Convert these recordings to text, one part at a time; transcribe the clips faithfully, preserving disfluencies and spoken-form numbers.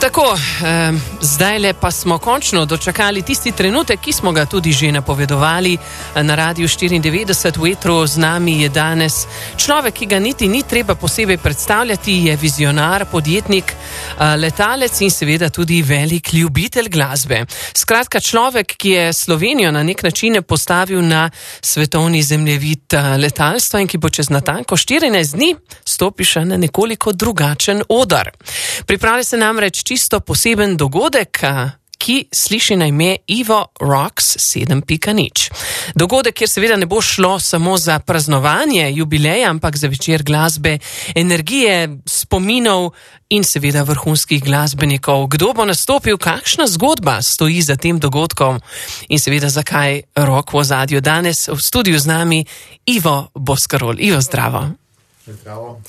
Tako, eh, zdajle pa smo končno dočakali tisti trenutek, ki smo ga tudi že napovedovali na Radiu štiriindevetdeset v etru. Z nami je danes človek, ki ga niti ni treba posebej predstavljati, je vizionar, podjetnik, eh, letalec in seveda tudi velik ljubitelj glasbe. Skratka, človek, ki je Slovenijo na nek način postavil na svetovni zemljevid letalstva in ki bo čez natanko štirinajst dni stopil še na nekoliko drugačen oder. Pripravlja se namreč čisto poseben dogodek, ki sliši na ime Evo Rocks sedem pika nič. Dogodek, kjer seveda ne bo šlo samo za praznovanje jubileja, ampak za večer glasbe, energije, spominov in seveda vrhunskih glasbenikov. Kdo bo nastopil, kakšna zgodba stoji za tem dogodkom in seveda zakaj rock v ozadju. Danes v studiu z nami Ivo Boscarol. Ivo, zdravo. Zdravo.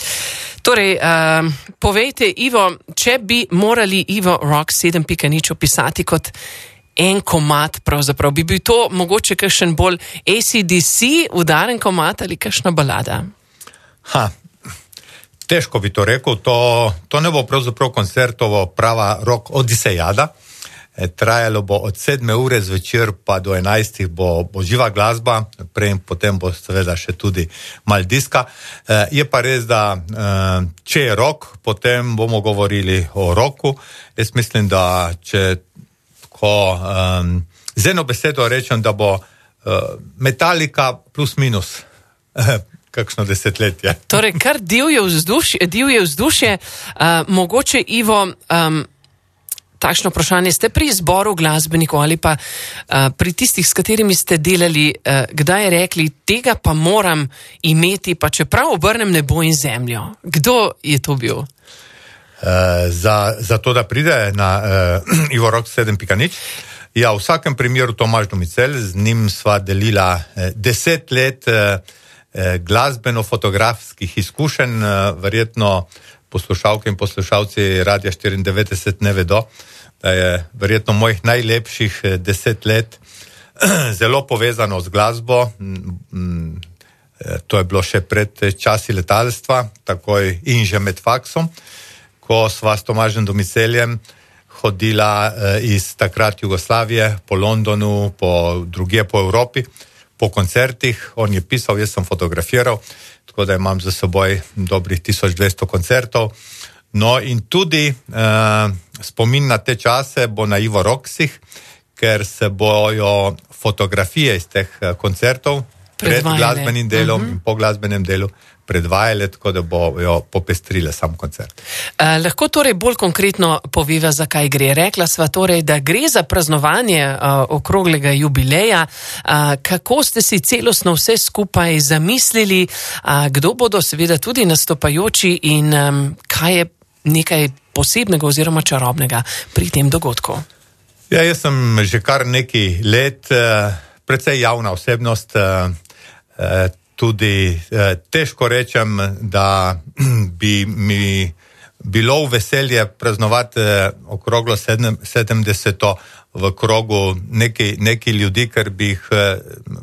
Torej, uh, povejte, Ivo, če bi morali Evo Rocks sedem pika nič opisati kot en komad, pravzaprav, bi bil to mogoče kakšen bolj A C D C udaren komad ali kakšna balada? Ha, težko bi to rekel, to, to ne bo pravzaprav koncertovo prava rock odisejada. E, trajalo bo od sedme ure zvečer pa do enajstih bo, bo živa glasba, prej in potem bo seveda še tudi mal diska. E, je pa res, da e, če je rock, potem bomo govorili o rocku. Jaz mislim, da če ko um, z eno besedo rečem, da bo uh, Metallica plus minus kakšno desetletje. Torej, kar divje vzdušje, divje vzdušje, uh, mogoče, Ivo, um, takšno vprašanje, ste pri izboru glasbenikov ali pa uh, pri tistih, s katerimi ste delali, uh, kdaj rekli, tega pa moram imeti, pa čeprav obrnem nebo in zemljo. Kdo je to bil? Uh, za, za to, da pride na uh, Evo Rocks sedem pika nič. Ja, v vsakem primeru Tomaž Domicel, z njim sva delila uh, deset let uh, uh, glasbeno-fotografskih izkušenj, uh, verjetno poslušalke in poslušalci Radia štiriindevetdeset ne vedo, da je verjetno mojih najlepših deset let zelo povezano z glasbo. To je bilo še pred časi letalstva, takoj in že med faksom, ko sva s Tomažem Domiceljem hodila iz takrat Jugoslavije po Londonu, po drugje po Evropi, po koncertih. On je pisal, jaz sem fotografiral, tako da imam za seboj dobrih tisoč dvesto koncertov. No in tudi uh, spomin na te čase bo na Evo Rocksih, ker se bojo fotografije iz teh koncertov pred glasbenim delom uh-huh. in po glasbenem delu predvajale, tako da bojo popestrile sam koncert. Uh, lahko torej bolj konkretno poveva, zakaj gre. Rekla sva torej, da gre za praznovanje uh, okroglega jubileja. Uh, kako ste si celostno vse skupaj zamislili? Uh, kdo bodo seveda tudi nastopajoči in um, kaj je nekaj posebnega oziroma čarobnega pri tem dogodku? Ja, jaz sem že kar nekaj let uh, precej javna osebnost, uh, uh, tudi eh, težko rečem, da bi mi bilo v veselje praznovati eh, okroglo sedem, sedemdeseto v krogu neki, neki ljudi, ker bi jih eh,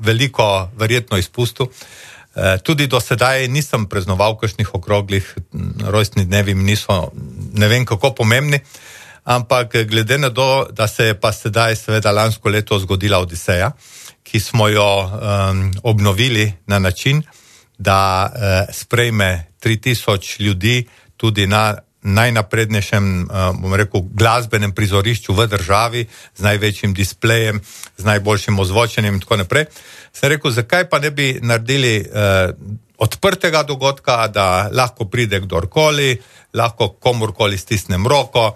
veliko verjetno izpustil. Eh, tudi do sedaj nisem praznoval kakšnih okroglih, rojstni dnevi mi niso ne vem kako pomembni, ampak glede na to, da se je pa sedaj seveda lansko leto zgodila Odiseja, ki smo jo um, obnovili na način, da uh, sprejme tri tisoč ljudi tudi na najnaprednejšem, uh, bom rekel, glasbenem prizorišču v državi, z največjim displejem, z najboljšim ozvočenjem in tako naprej. Sem rekel, zakaj pa ne bi naredili uh, odprtega dogodka, da lahko pride kdorkoli, lahko komorkoli stisnem roko,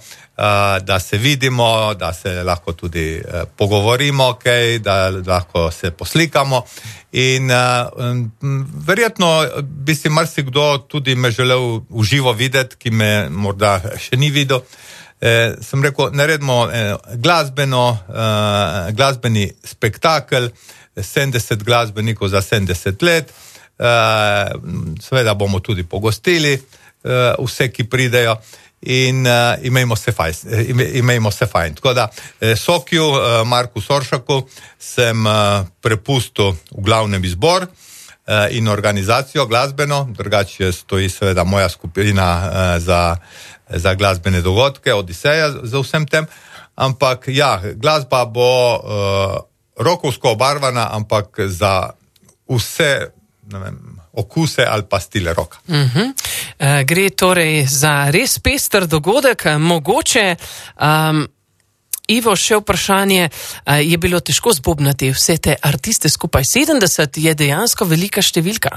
da se vidimo, da se lahko tudi pogovorimo, okay, da lahko se poslikamo in verjetno bi si marsikdo tudi me želel v živo videti, ki me morda še ni videl. Sem rekel, naredimo glasbeno, glasbeni spektakel, sedemdeset glasbenikov za sedemdeset let, seveda bomo tudi pogostili vse, ki pridejo in uh, imejmo se fajn. Imejmo se fajn. Tako da Sokiju, uh, Marku Soršaku sem uh, prepustil v glavnem izbor. in organizacijo glasbeno, drugače stoji seveda moja skupina za, za glasbene dogodke, Odiseja za vsem tem, ampak ja, glasba bo uh, rokovsko obarvana, ampak za vse, ne vem, okuse ali pa stile roka. Uh-huh. Uh, gre torej za res pester dogodek, mogoče um, Ivo, še vprašanje, je bilo težko zbobnati vse te artiste skupaj? sedemdeset je dejansko velika številka.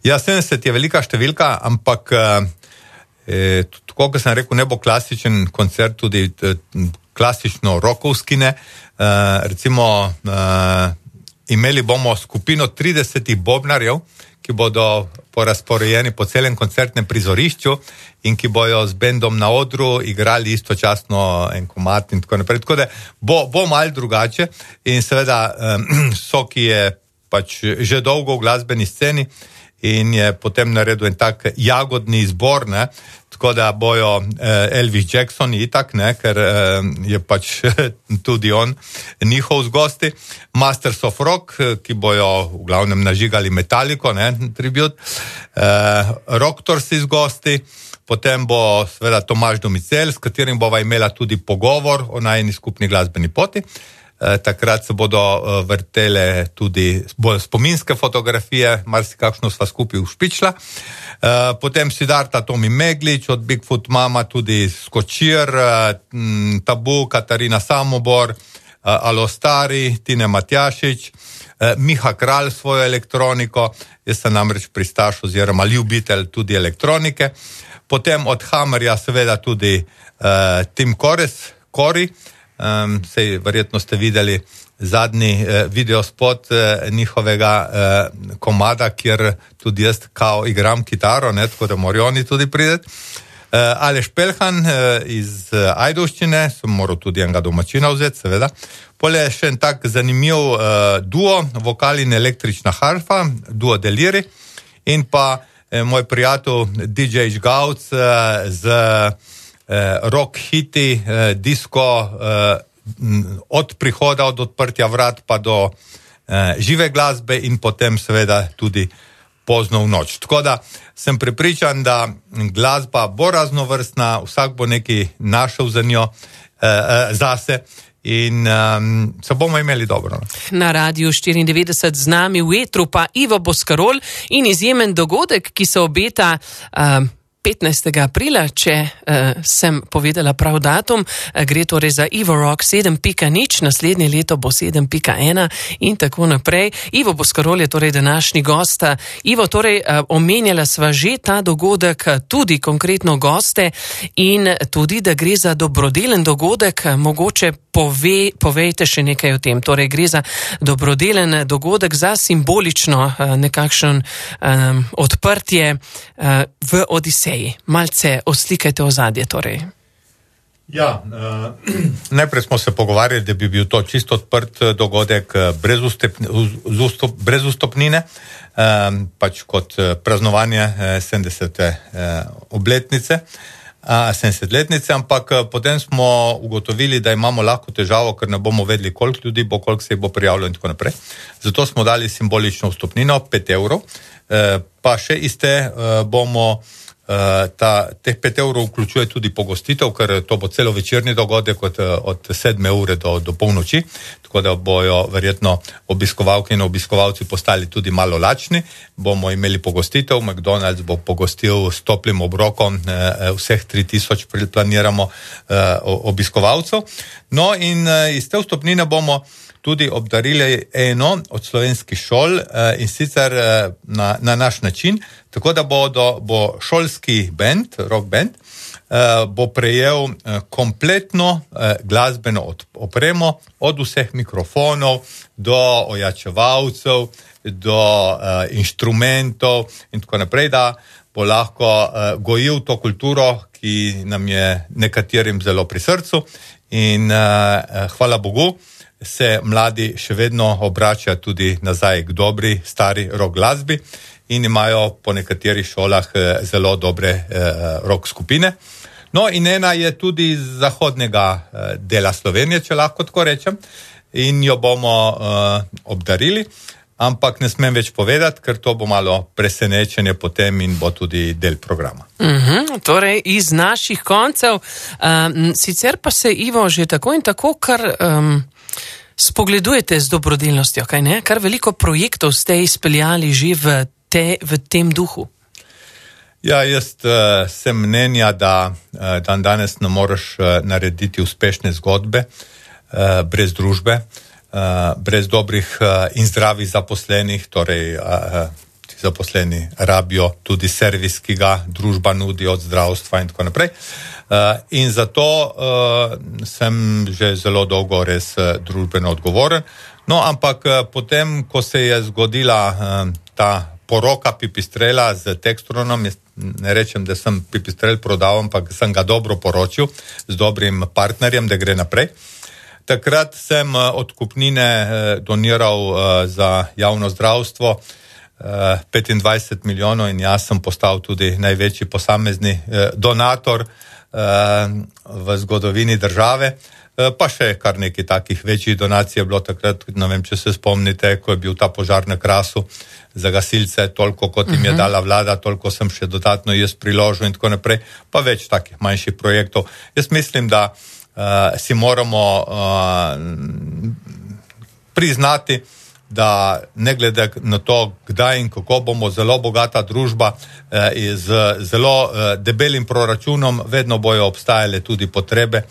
Ja, sedemdeset je velika številka, ampak eh, tako, kot sem rekel, ne bo klasičen koncert, tudi eh, klasično rokovski ne. Eh, recimo, eh, imeli bomo skupino tridesetih bobnarjev, ki bodo porazporejeni po celem koncertnem prizorišču in ki bojo z bendom na odru igrali istočasno en komad in tako naprej. Tako da bo, bo malo drugače in seveda um, Soki je pač že dolgo v glasbeni sceni in je potem naredil en tak jagodni izbor, ne, tako da bojo eh, Elvis Jackson itak, ne, ker eh, je pač tudi on njihov z gosti, Masters of Rock, ki bojo v glavnem nažigali Metallico, ne, tribut, eh, Rocktorsi z gosti, potem bo seveda Tomaž Domicel, s katerim bova imela tudi pogovor o najni skupni glasbeni poti. E, takrat se bodo e, vrtele tudi bolj spominske fotografije, marsikakšno sva skupaj ušpičila. E, potem Siddharta Tomi Meglič, od Bigfoot Mama tudi Skočir, e, Tabu, Katarina Samobor, e, Alo Stari, Tine Matjašič, e, Miha Kralj svojo elektroniko, jaz sem namreč pristaš oziroma ljubitelj tudi elektronike. Potem od Hammerja seveda tudi e, Tim Kores, Kori, Um, sej verjetno ste videli zadnji eh, videospot eh, njihovega eh, komada, kjer tudi jaz kao igram kitaro, ne, tako da morajo oni tudi prideti. Eh, Aleš Pelhan eh, iz eh, Ajdovščine, sem moral tudi enega domačina vzeti, seveda. Pole je še en tak zanimiv eh, duo, vokal in električna harfa, duo Deliri, in pa eh, moj prijatelj D J Žgavc eh, z rock hiti, eh, disko, eh, od prihoda, od odprtja vrat pa do eh, žive glasbe in potem seveda tudi pozno v noč. Tako da sem prepričan, da glasba bo raznovrstna, vsak bo nekaj našel za njo, eh, zase in um, se bomo imeli dobro. Na Radiu štiriindevetdeset z nami v etru pa Ivo Boscarol in izjemen dogodek, ki se obeta uh, petnajstega aprila, če uh, sem povedala prav datum, uh, gre torej za Ivo Rock sedem pika nič, naslednje leto bo sedem pika ena in tako naprej. Ivo Boscarol je torej današnji gost. Ivo, torej uh, omenjala sva že ta dogodek, tudi konkretno goste in tudi, da gre za dobrodelen dogodek, mogoče pove, povejte še nekaj o tem. Torej gre za dobrodelen dogodek, za simbolično uh, nekakšen um, odprtje uh, v Odiseji. Malce oslikajte ozadje torej. Ja, uh, najprej smo se pogovarjali, da bi bil to čisto odprt dogodek brez, ustep, ustop, brez ustopnine, um, pač kot praznovanje sedemdesete uh, obletnice, uh, sedemdesetletnice, ampak potem smo ugotovili, da imamo lahko težavo, ker ne bomo vedeli, koliko ljudi bo, koliko se jih bo prijavilo in tako naprej. Zato smo dali simbolično vstopnino, pet evrov, uh, pa še iste uh, bomo Uh, ta, teh pet evrov vključuje tudi pogostitev, ker to bo celo večerni dogodek od, od sedme ure do, do polnoči, tako da bojo verjetno obiskovalke in obiskovalci postali tudi malo lačni. Bomo imeli pogostitev, McDonald's bo pogostil s toplim obrokom eh, vseh tri tisoč planiramo eh, obiskovalcev. No in eh, iz te vstopnine bomo tudi obdarili eno od slovenskih šol eh, in sicer eh, na, na naš način, tako da bo, do, bo šolski band, rock band, eh, bo prejel eh, kompletno eh, glasbeno opremo, od vseh mikrofonov do ojačevalcev, do eh, inštrumentov in tako naprej, da bo lahko eh, gojil to kulturo, ki nam je nekaterim zelo pri srcu in eh, hvala Bogu, se mladi še vedno obračajo tudi nazaj k dobri, stari rock glasbi in imajo po nekaterih šolah eh, zelo dobre eh, rock skupine. No in ena je tudi iz zahodnega eh, dela Slovenije, če lahko tako rečem, in jo bomo eh, obdarili. ampak ne smem več povedati, ker to bo malo presenečenje potem in bo tudi del programa. Uh-huh, torej iz naših koncev. Um, sicer pa se, Ivo, že tako in tako kar um, spogledujete z dobrodelnostjo, kaj ne? Kar veliko projektov ste izpeljali že v, te, v tem duhu. Ja, jaz uh, sem mnenja, da uh, dan danes ne moreš uh, narediti uspešne zgodbe uh, brez družbe, uh, brez dobrih uh, in zdravih zaposlenih, torej uh, ti zaposleni rabijo tudi servis, ki ga družba nudi od zdravstva in tako naprej. Uh, in zato uh, sem že zelo dolgo res uh, družbeno odgovoren. No, ampak uh, potem, ko se je zgodila uh, ta poroka Pipistrela z Textronom, ne rečem, da sem Pipistrel prodal, ampak sem ga dobro poročil z dobrim partnerjem, da gre naprej. Takrat sem odkupnine doniral za javno zdravstvo petindvajset milijonov in jaz sem postal tudi največji posamezni donator v zgodovini države. Pa še kar nekaj takih večjih donacij je bilo takrat, ne vem, če se spomnite, ko je bil ta požar na Krasu za gasilce, toliko kot jim je dala vlada, toliko sem še dodatno jaz priložil in tako naprej, pa več takih manjših projektov. Jaz mislim, da uh, si moramo uh, priznati, da ne glede na to, kdaj in kako bomo zelo bogata družba uh, z zelo uh, debelim proračunom, vedno bojo obstajale tudi potrebe,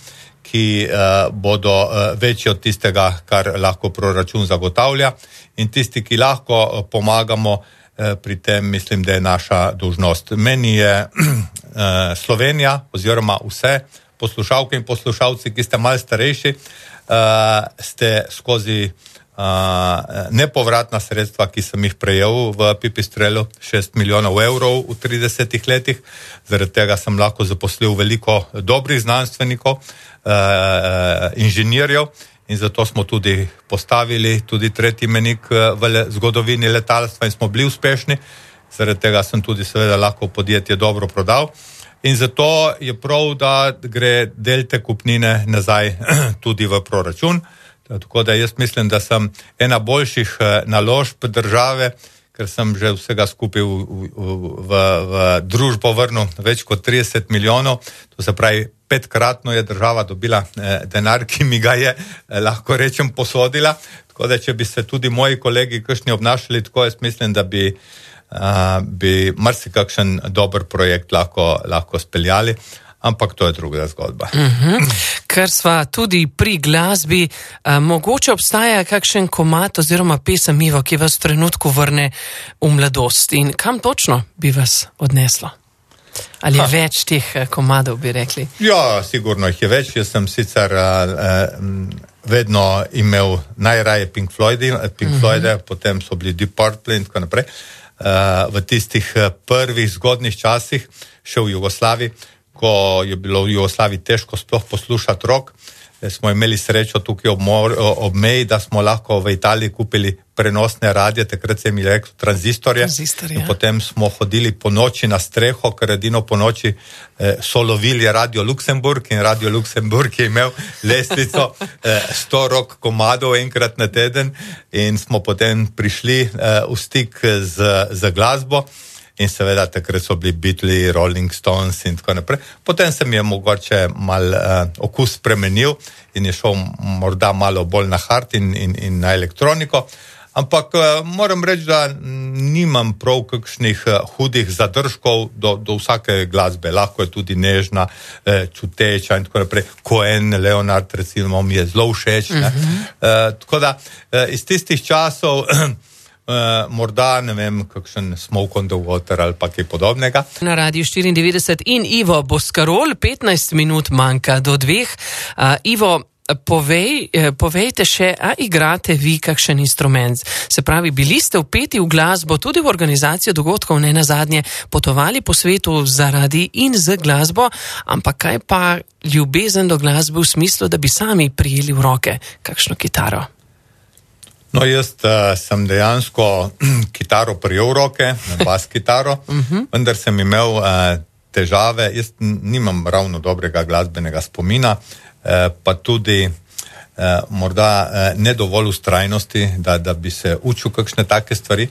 ki uh, bodo uh, večji od tistega, kar lahko proračun zagotavlja. In tisti, ki lahko uh, pomagamo uh, pri tem, mislim, da je naša dolžnost. Meni je uh, Slovenija oziroma vse poslušalke in poslušalci, ki ste malo starejši, uh, ste skozi uh, nepovratna sredstva, ki sem jih prejel v Pipistrelu, šest milijonov evrov v tridesetih letih. Zaradi tega sem lahko zaposlil veliko dobrih znanstvenikov, Uh, inženirjev in zato smo tudi postavili tudi tretji menik v le, zgodovini letalstva in smo bili uspešni. Zaradi tega sem tudi seveda lahko podjetje dobro prodal in zato je prav, da gre del te kupnine nazaj tudi v proračun. Tako da jaz mislim, da sem ena boljših naložb države, ker sem že vsega skupaj v, v, v, v družbo vrnil več kot trideset milijonov, to se pravi petkratno je država dobila eh, denar, ki mi ga je, eh, lahko rečem, posodila. Tako da, če bi se tudi moji kolegi kakšni obnašali tako, jaz mislim, da bi, uh, bi marsikakšen dober projekt lahko, lahko speljali. Ampak to je druga zgodba. Uh-huh. Ker sva tudi pri glasbi, a, mogoče obstaja kakšen komad oziroma pesem, Ivo, ki vas v trenutku vrne v mladost in kam točno bi vas odneslo? Ali je ha. več teh komadov, bi rekli? Ja, sigurno jih je več. Jaz sem sicer uh, vedno imel najraje Pink Floyde, Pink uh-huh. Floyde, potem so bili Deep Purple in tako naprej. Uh, v tistih prvih zgodnih časih, še v Jugoslaviji, ko je bilo v Jugoslaviji težko sploh poslušati rock, smo imeli srečo tukaj ob, mor, ob meji, da smo lahko v Italiji kupili prenosne radije, takrat se mi rekel tranzistorje. Tranzistor, ja. Potem smo hodili po noči na streho, ker edino po noči eh, so lovili Radio Luksemburg in Radio Luksemburg je imel lestvico eh, sto rock komadov enkrat na teden in smo potem prišli eh, v stik z, z glasbo. In seveda takrat so bili Beatles, Rolling Stones in tako naprej. Potem se mi je mogoče mal uh, okus spremenil in je šel morda malo bolj na hard in, in, in na elektroniko. Ampak uh, moram reči, da nimam prav kakšnih uh, hudih zadržkov do, do vsake glasbe. Lahko je tudi nežna, uh, čuteča in tako naprej. Cohen, Leonard recimo mi je zelo všeč. Uh-huh. uh, tako da uh, iz tistih časov Uh, morda, ne vem, kakšen Smoke on the Water ali pa kaj podobnega. Na Radiu štiriindevetdeset in Ivo Boscarol, petnajst minut manjka do dveh. Uh, Ivo, povej, povejte še, a igrate vi kakšen instrument? Se pravi, bili ste vpeti v glasbo, tudi v organizacijo dogodkov, ne nazadnje, potovali po svetu zaradi in z glasbo, ampak kaj pa ljubezen do glasbe v smislu, da bi sami prijeli v roke kakšno kitaro? No, jaz uh, sem dejansko kitaro prijel v roke, bas kitaro, uh-huh. vendar sem imel uh, težave, jaz nimam ravno dobrega glasbenega spomina, uh, pa tudi uh, morda ne dovolj ustrajnosti, da, da bi se učil kakšne take stvari.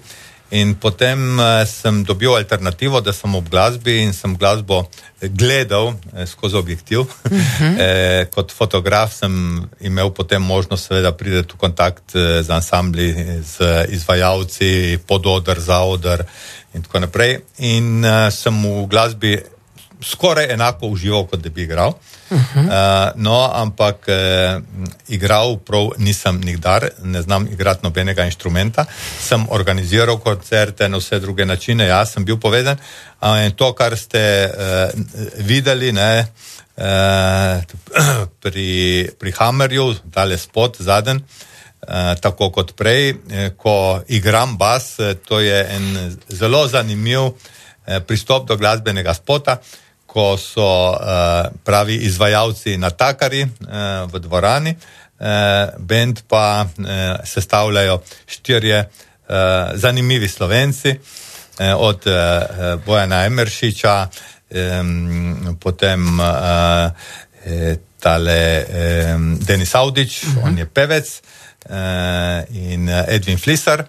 In potem sem dobil alternativo, da sem ob glasbi in sem glasbo gledal skozi objektiv. Uh-huh. E, kot fotograf sem imel potem možnost seveda priti v kontakt z ansambli, z izvajalci, pododr, zaodr in tako naprej. In uh, sem v glasbi skoraj enako užival, kot da bi igral. Uh-huh. Uh, no, ampak uh, igral prav nisem nikdar, ne znam igrati nobenega inštrumenta. Sem organiziral koncerte na vse druge načine, jaz sem bil povezan. Uh, in to, kar ste uh, videli, ne, uh, pri, pri Hammerju, tale spot, zaden, uh, tako kot prej, eh, ko igram bas, to je en zelo zanimiv eh, pristop do glasbenega spota, ko so uh, pravi izvajalci natakari uh, v dvorani, uh, bend pa uh, sestavljajo štirje uh, zanimivi Slovenci, uh, od uh, Bojana Emeršiča, um, potem uh, tale um, Denis Audić, uh-huh. On je pevec, uh, in Edwin Flisar.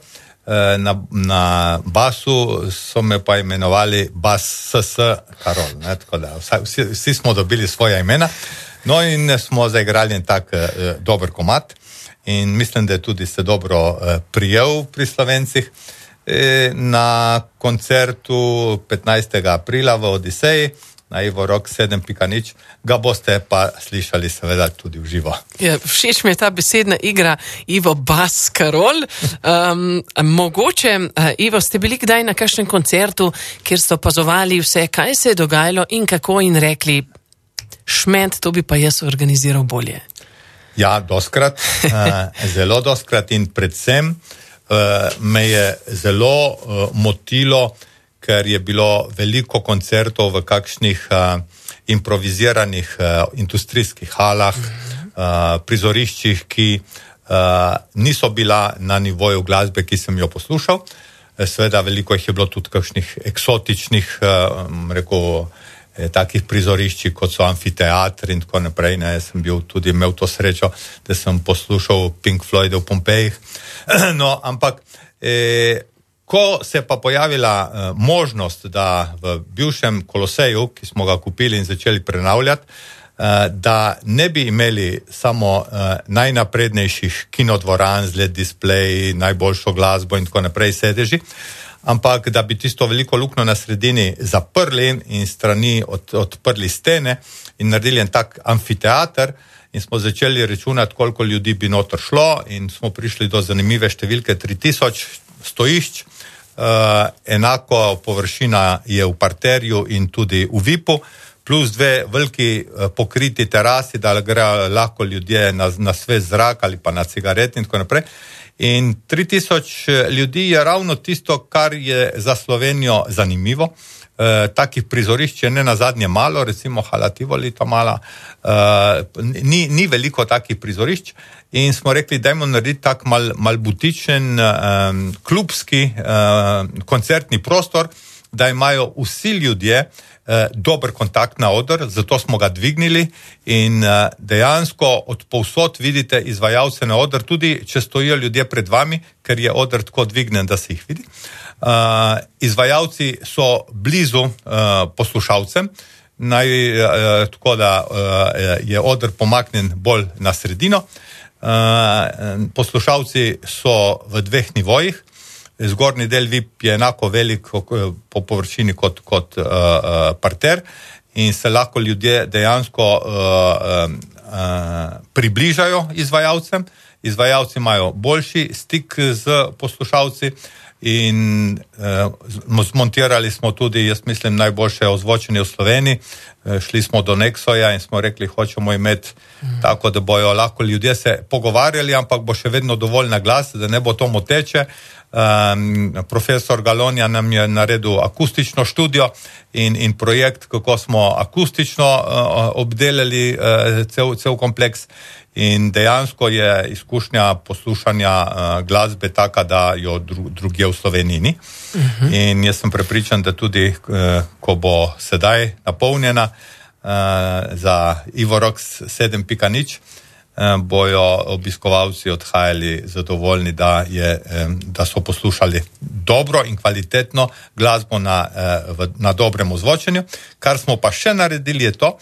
Na, na basu so me pa imenovali Bas S S Karol, ne, tako da vsi, vsi smo dobili svoja imena, no in smo zaigrali en tak eh, dober komad in mislim, da je tudi se dobro eh, prijel pri Slovencih. E, na koncertu petnajstega aprila v Odiseji na Ivo Rock sedem pika nič, ga boste pa slišali seveda tudi v živo. Ja, všeč mi je ta besedna igra Ivo Bas Karol. Um, mogoče, uh, Ivo, ste bili kdaj na kakšnem koncertu, kjer ste opazovali vse, kaj se je dogajalo in kako, in rekli, šment, to bi pa jaz organiziral bolje? Ja, doskrat, uh, zelo doskrat in predvsem uh, me je zelo uh, motilo, ker je bilo veliko koncertov v kakšnih uh, improviziranih uh, industrijskih halah, uh, prizoriščih, ki uh, niso bila na nivoju glasbe, ki sem jo poslušal. Seveda veliko jih je bilo tudi kakšnih eksotičnih, uh, rekel, eh, takih prizoriščih, kot so amfiteatri in tako naprej. Ne, sem bil tudi imel to srečo, da sem poslušal Pink Floyd v Pompejih. No, ampak eh, ko se pa pojavila uh, možnost, da v bivšem Koloseju, ki smo ga kupili in začeli prenavljati, uh, da ne bi imeli samo uh, najnaprednejših kinodvoran z L E D displeji, najboljšo glasbo in tako naprej sedeži, ampak da bi tisto veliko luknjo na sredini zaprli in strani od, odprli stene in naredili en tak amfiteater, in smo začeli računati, koliko ljudi bi noter šlo, in smo prišli do zanimive številke tri tisoč stojišč. Uh, enako površina je v parterju in tudi v V I P-u, plus dve veliki uh, pokriti terasi, da grejo lahko ljudje na, na svež zrak ali pa na cigaret in tako naprej. In tri tisoč ljudi je ravno tisto, kar je za Slovenijo zanimivo. Uh, takih prizorišč je ne nazadnje malo, recimo Hala Tivoli ta mala, uh, ni, ni veliko takih prizorišč. In smo rekli, dajmo narediti tak mal, mal butičen, um, klubski uh, koncertni prostor, da imajo vsi ljudje uh, dober kontakt na oder, zato smo ga dvignili in uh, dejansko od povsod vidite izvajalce na oder, tudi če stojijo ljudje pred vami, ker je oder tako dvignen, da se jih vidi. Uh, izvajalci so blizu uh, poslušalcem, naj, uh, tako da uh, je oder pomaknen bolj na sredino. Uh, poslušalci so v dveh nivojih, zgornji del V I P je enako velik po površini kot, kot uh, uh, parter in se lahko ljudje dejansko uh, uh, približajo izvajalcem. Izvajalci imajo boljši stik z poslušalci in uh, zmontirali smo tudi, jaz mislim, najboljše ozvočenje v Sloveniji. Uh, šli smo do Nexoja in smo rekli, hočemo imeti mm. tako, da bojo lahko ljudje se pogovarjali, ampak bo še vedno dovolj na glas, da ne bo to moteče. Um, profesor Galonja nam je naredil akustično študijo in, in projekt, kako smo akustično uh, obdelali uh, cel, cel kompleks. In dejansko je izkušnja poslušanja uh, glasbe taka, da jo dru, drugje v Sloveniji ni. Uh-huh. In jaz sem prepričan, da tudi, uh, ko bo sedaj napolnjena uh, za Ivo Rock sedem pika nič, bojo obiskovalci odhajali zadovoljni, da, je, da so poslušali dobro in kvalitetno glasbo na, na dobrem ozvočenju. Kar smo pa še naredili je to,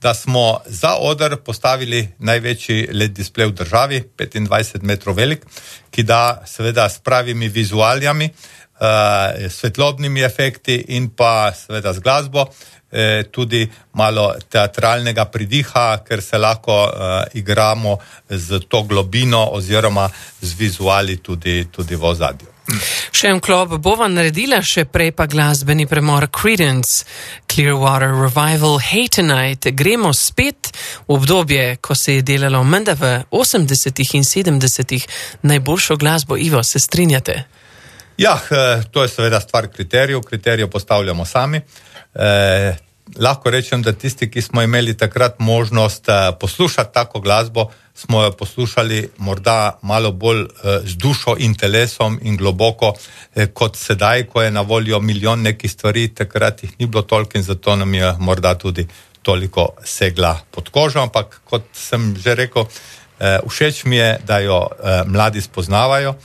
da smo za oder postavili največji L E D displej v državi, petindvajset metrov velik, ki da seveda s pravimi vizualijami, Uh, svetlobnimi efekti in pa seveda z glasbo, eh, tudi malo teatralnega pridiha, ker se lahko uh, igramo z to globino oziroma z vizuali tudi, tudi v ozadju. Še en klop bova naredila, še prej pa glasbeni premor Creedence Clearwater Revival Hey Tonight. Gremo spet v obdobje, ko se je delalo menda v osemdesetih in sedemdesetih najboljšo glasbo. Ivo, se strinjate? Ja, to je seveda stvar kriterijev, kriterijev postavljamo sami. Eh, lahko rečem, da tisti, ki smo imeli takrat možnost eh, poslušati tako glasbo, smo jo poslušali morda malo bolj eh, z dušo in telesom in globoko, eh, kot sedaj, ko je na voljo milijon nekih stvari, takrat jih ni bilo toliko in zato nam je morda tudi toliko segla pod kožo, ampak kot sem že rekel, eh, všeč mi je, da jo eh, mladi spoznavajo,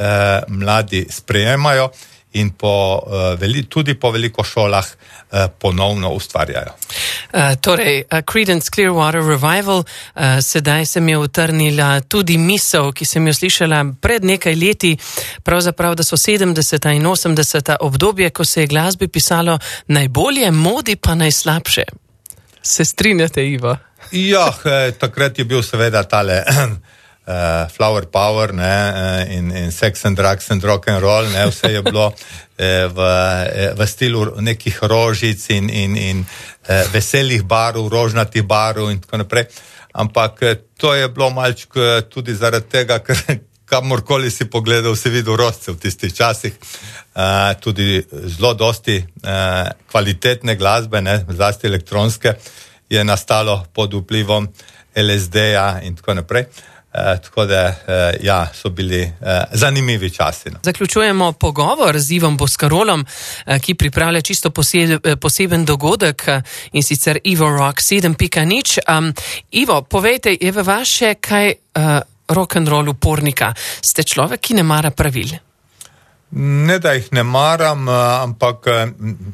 Uh, mladi sprejemajo in po, uh, veli, tudi po veliko šolah uh, ponovno ustvarjajo. Uh, torej, uh, Creedence Clearwater Revival, uh, sedaj se mi je utrnila tudi misel, ki sem jo slišala pred nekaj leti, pravzaprav, da so sedemdeseta in osemdeseta obdobje, ko se je glasbi pisalo najbolje, modi pa najslabše. Se strinjate, Ivo? Ja, eh, takrat je bil seveda tale Uh, flower power, ne, uh, in, in sex and drugs and rock and roll, ne, vse je bilo uh, v, v stilu nekih rožic in, in, in uh, veselih barv, rožnatih barv in tako naprej. Ampak uh, to je bilo malček uh, tudi zaradi tega, ker kamorkoli si pogledal, si videl rožce v tistih časih. Uh, tudi zelo dosti uh, kvalitetne glasbe, ne, zlasti elektronske, je nastalo pod vplivom L S D-ja in tako naprej. Uh, tako da, uh, ja, so bili uh, zanimivi časi. No. Zaključujemo pogovor z Ivom Boscarolom, uh, ki pripravlja čisto poseb, poseben dogodek uh, in sicer Ivo Rock sedem pika nič. Um, Ivo, povejte, je v vas še kaj uh, rock'n'roll upornika? Ste človek, ki ne mara pravil? Ne, da jih ne maram, ampak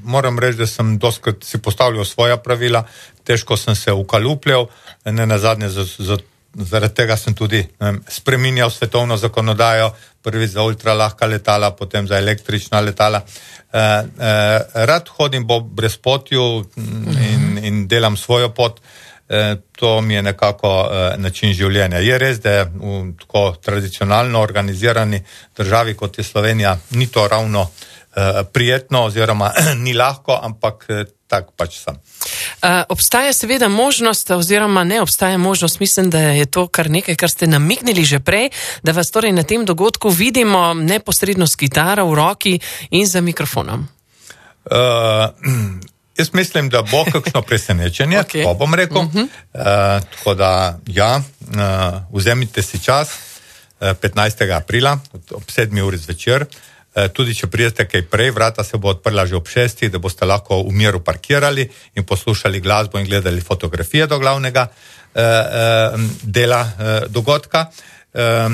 moram reči, da sem doskrat si postavljal svoja pravila, težko sem se ukalupljal, ne nazadnje za, za zaradi tega sem tudi um, spreminjal svetovno zakonodajo, prvi za ultralahka letala, potem za električna letala. Uh, uh, rad hodim po brezpotju in, in delam svojo pot. Uh, to mi je nekako uh, način življenja. Je res, da je v tako tradicionalno organizirani državi, kot je Slovenija, ni to ravno uh, prijetno oziroma ni lahko, ampak uh, tak pač sem. Uh, obstaja seveda možnost, oziroma ne obstaja možnost, mislim, da je to kar nekaj, kar ste namignili že prej, da vas torej na tem dogodku vidimo neposredno s kitaro v roki in za mikrofonom. Uh, jaz mislim, da bo kakšno presenečenje, okay. To bom rekel. Uh-huh. Uh, tako da, ja, uh, vzemite si čas, uh, petnajstega aprila, ob sedmi uri zvečer. Tudi če pridete kaj prej, vrata se bo odprla že ob šestih, da boste lahko v miru parkirali in poslušali glasbo in gledali fotografije do glavnega eh, eh, dela eh, dogodka. Eh,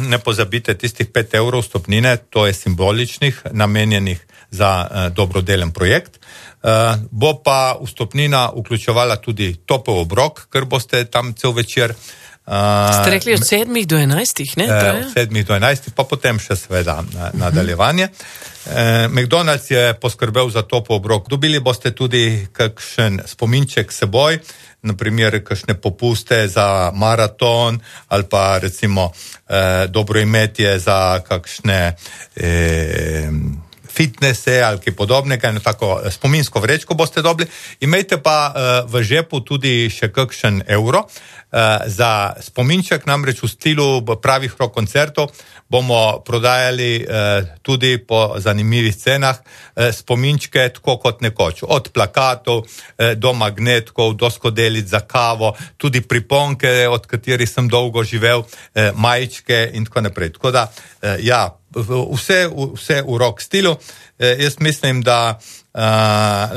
ne pozabite tistih pet evrov stopnine, to je simboličnih, namenjenih za eh, dobrodelen projekt. Eh, bo pa vstopnina vključevala tudi topel obrok, ker boste tam cel večer. Uh, Ste rekli od sedmih do enajstih, ne? Uh, od sedmih do enajstih, pa potem še seveda na, nadaljevanje. Uh, McDonald's je poskrbel za topel obrok. Dobili boste tudi kakšen spominček seboj, naprimer kakšne popuste za maraton ali pa recimo uh, dobro imetje za kakšne uh, fitnese ali kaj podobnega, eno tako spominsko vrečko boste dobili. Imejte pa uh, v žepu tudi še kakšen evro uh, za spominček, namreč v stilu pravih rock koncertov bomo prodajali uh, tudi po zanimivih cenah uh, spominčke tako kot nekoč. Od plakatov uh, do magnetkov, do skodelic za kavo, tudi priponke, od katerih sem dolgo živel, uh, majčke in tako naprej. Tako da, uh, ja, vse, vse v rock stilu. Jaz mislim, da Uh,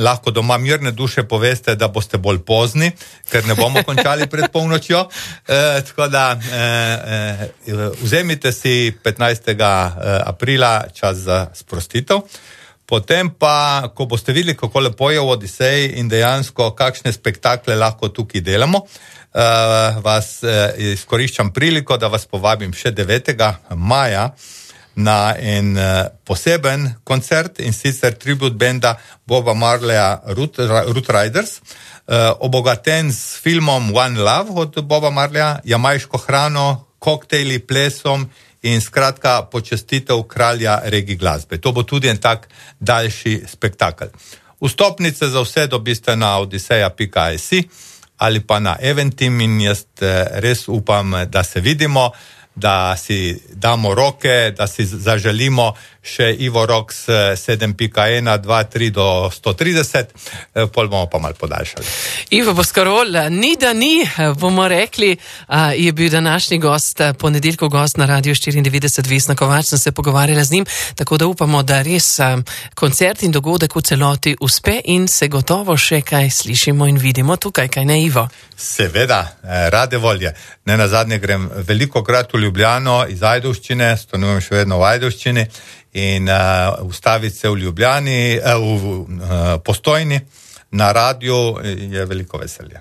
lahko doma mirne duše poveste, da boste bolj pozni, ker ne bomo končali pred polnočjo. Uh, tako da uh, uh, vzemite si petnajstega aprila čas za sprostitev. Potem pa, ko boste videli, kako lepo je v Odiseji in dejansko kakšne spektakle lahko tukaj delamo, uh, vas uh, izkoriščam priliko, da vas povabim še devetega maja na en uh, poseben koncert, in sicer tribute benda Boba Marleya Root, Root Riders, uh, obogaten s filmom One Love od Boba Marleya, jamajško hrano, koktejli, plesom in skratka počastitev kralja regi glasbe. To bo tudi en tak daljši spektakel. Vstopnice za vse dobiste na odiseja pika si ali pa na Eventim, in jaz res upam, da se vidimo, da si damo roke, da si zaželimo še Ivo Rox sedem pika ena, dva, tri do sto trideset, pol bomo pa malo podaljšali. Ivo Boscarol, ni da ni, bomo rekli, je bil današnji gost, ponedeljkov gost na Radiu štiriindevetdeset, Vesna Kovač, sem se pogovarjala z njim, tako da upamo, da res koncert in dogodek v celoti uspe in se gotovo še kaj slišimo in vidimo tukaj, kaj ne, Ivo? Seveda, rade volje. Ne nazadnje grem veliko krat v Ljubljano iz Ajdovščine, stanujem še vedno v Ajdovščini, in uh, ustaviti se v Ljubljani, uh, v uh, Postojni na radiju je veliko veselje.